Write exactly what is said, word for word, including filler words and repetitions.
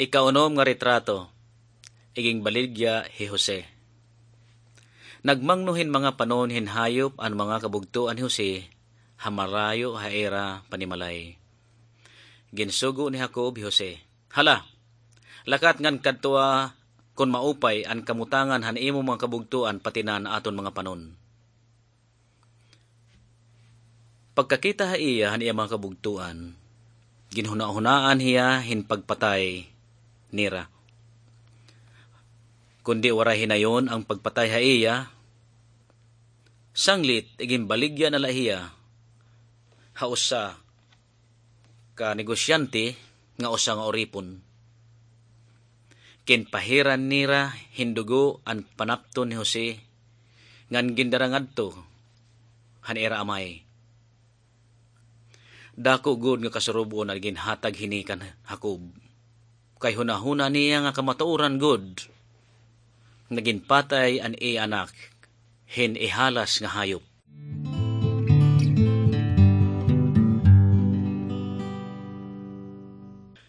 Ikaunom nga retrato, iginbaligya hi Jose. Nagmangno hin mga panon hin hayop an mga kabugtoan ni Jose ha marayo ha ira panimalay. Ginsugo ni Jacob hi Jose, "Hala, lakat ngan kadtoa kon maupay an kamutangan han imo mga kabugtoan pati na an aton mga panon." Pagkakita ha iya han iya mga kabugtoan, ginhunahunaan hiya hin pagpatay nira. Kundi waray hinayon an pagpatay ha iya, sanglit iginbaligya na la hiya ha usa ka negosyante nga usa nga uripon. Ginpahiran nira hin dugo an panapton ni Jose ngan gindara ngadto han ira amay. Dako gud nga kasurub-on an ginhatag hini kan Jacob, kay hunahuna niya nga kamatuoran gud nga ginpatay an iya anak hin ihalas nga hayop.